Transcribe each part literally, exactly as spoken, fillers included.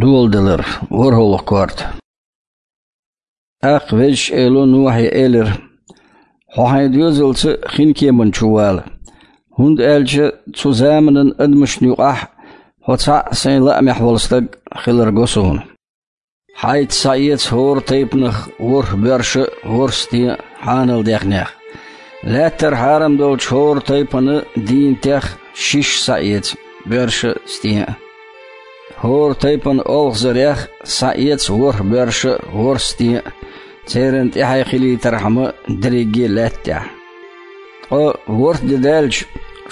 Доладалар, ворхӀалгӀа корта. ТӀаккха Везачу Эло Нухе элира: «Хьо хьайн доьзалца хинкеман чу вала, хӀунда аьлча цу заманан адамашна юкъахь хьо цхьаъ сайн лаамехь волу стаг хилар го суна. Хьайца схьаэца хӀора тайпанах ворхӀ боьрша а, ворхӀ стен а хьанал даьхнех. Лаьттара хьарам долчу хӀора тайпана дийнатех шишша схьаэца, боьрша а, стен а. ХӀора тайпана олхазарех схьаэца ворхӀ боьрша а, ворхӀ стен а, церан тӀаьхье хилийтархьама дерриге а лаьтта тӀехь. Ткъа ворхӀ де даьлча,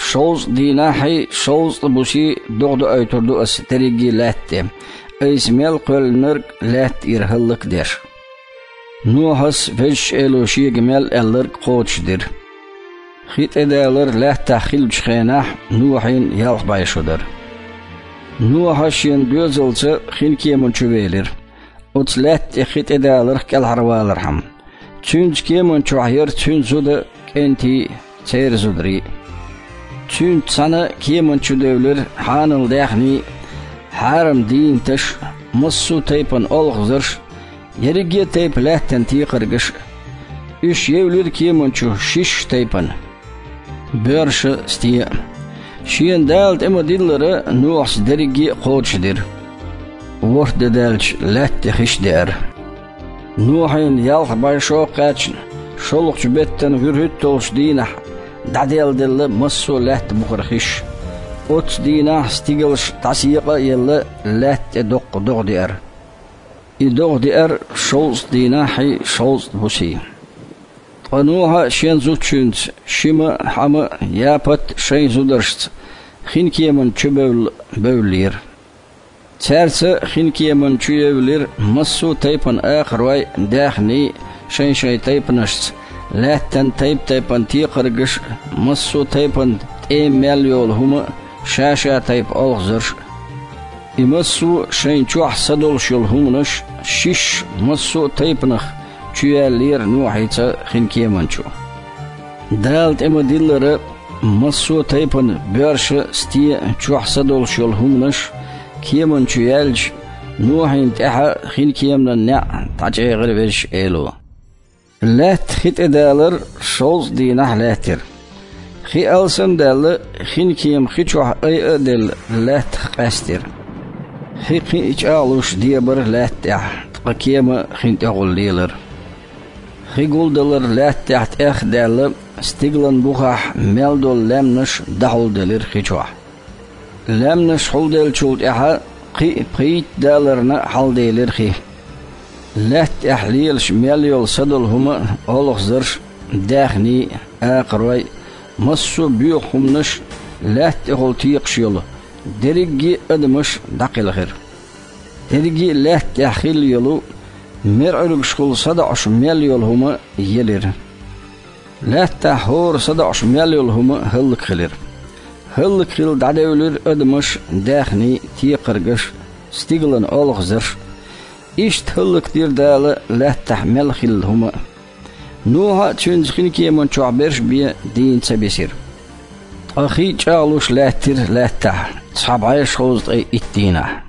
шовзткъа дийнахьий, шовзткъа бусий догӀа доуьйтур ду ас дерриге а лаьтта тӀе, айса мел кхоьллинарг лаьтта тӀера хӀаллак а деш». Нухьас Везачу Эло шега мел аьлларг кхочушдира. Хи тӀедалар лаьттахь хиллачу хенахь Нухьин ялх бӀе шо дара. Нухьа шен доьзалца хинкеман чу велира, оцу лаьтта тӀе хи тӀедаларх кӀелхьарвалархьама. Цуьнца кеман чохь яра цуьнан зуда, кӀентий, церан зударий. Цуьнца цхьаьна кеман чу девлира хьанал даьхний, хьарам дийнаташ, массо а тайпана олхазарш, ерриге а тайпа лаьттан текхаргаш. Уьш евлира кеман чу шишша тайпана, боьрша а, стен а. Шена Дала тӀе ма-диллара, Нухьас дерриге а кхочушдира. ВорхӀ де даьлча, лаьтта тӀе хиш деара. Нухьин ялх бӀе шо а кхаьчна, шолгӀачу беттан вуьрхӀитталгӀачу дийнахь дӀаделладелла массо а лаьтта бухара хиш. Оццу дийнахь стигалш дӀасекъа а елла, лаьтта тӀе доккха догӀа деара. И догӀа деара шовзткъа дийнахьий, шовзткъа бусий. Ткъа Нухьа а шен зудчуьнца, Шима а, Хьама а, Япат а шайн зударшца хинкеман чу бевлла бевллера. Цаьрца хинкеман чу евлира массо а тайпана акхарой, даьхний, шайн-шайн тайпанашца, лаьттан тайп-тайпана текхаргаш а, массо а тайпана тӀема мел йолу хӀума а, ша-ша тайпа олхазарш а. И массо а шайн чохь са долуш йолу хӀуманаш шишша массо а тайпанах чуяьллера Нухьица хинкеман чу. Дала тӀе ма-диллара, массо а тайпана боьрша а, стен а чохь са долуш йолу хӀуманаш кеман чу яьлча, Нухьин тӀаьхьа хинкеманан неӀ дӀачӀегӀира Везачу Эло. Лаьтта хи тӀедалар шовзткъа дийнахь лаьттира. Хи алсам а даьлла, хинкема хи чохь айа а делла, лаьттах къаьстира. Хи кхин а чӀагӀлуш дебара лаьтта тӀехь, ткъа кема хин тӀехула лелара. Хи гулдалар лаьттахь тӀех а даьлла, стигалан бухахь мел долу лаьмнаш дӀахьулделира хи чохь. Лаьмнаш хьулделлачул тӀаьхьа кхин а пхийтта даларна хьалделира хи. Лаьттахь лелаш мел йолу са долу хӀума а, олхазарш а, даьхний а, акхарой а, массо а боьха хӀуманаш а, лаьтта тӀехула текхаш йолу дерриге а адамаш дӀакхелхира. Дерриге а лаьттахь хилла йолу, мерӀуьргашхула садоӀуш мел йолу хӀума елира. Лаьттахь хӀора садоӀуш мел йолу хӀума хӀаллакхилира. ХӀаллакхилла дӀадевлира адамаш а, даьхний а, текхаргаш а, стигалан олхазарш а. Иштта хӀаллакдира Дала лаьттахь мел хилла хӀума а. Нухьа а, цуьнца хинкеман чохь берш бен дийна ца бисира. Ткъа хи чӀагӀлуш лаьттира лаьттахь цхьа бӀе шовзткъе итт дийнахь.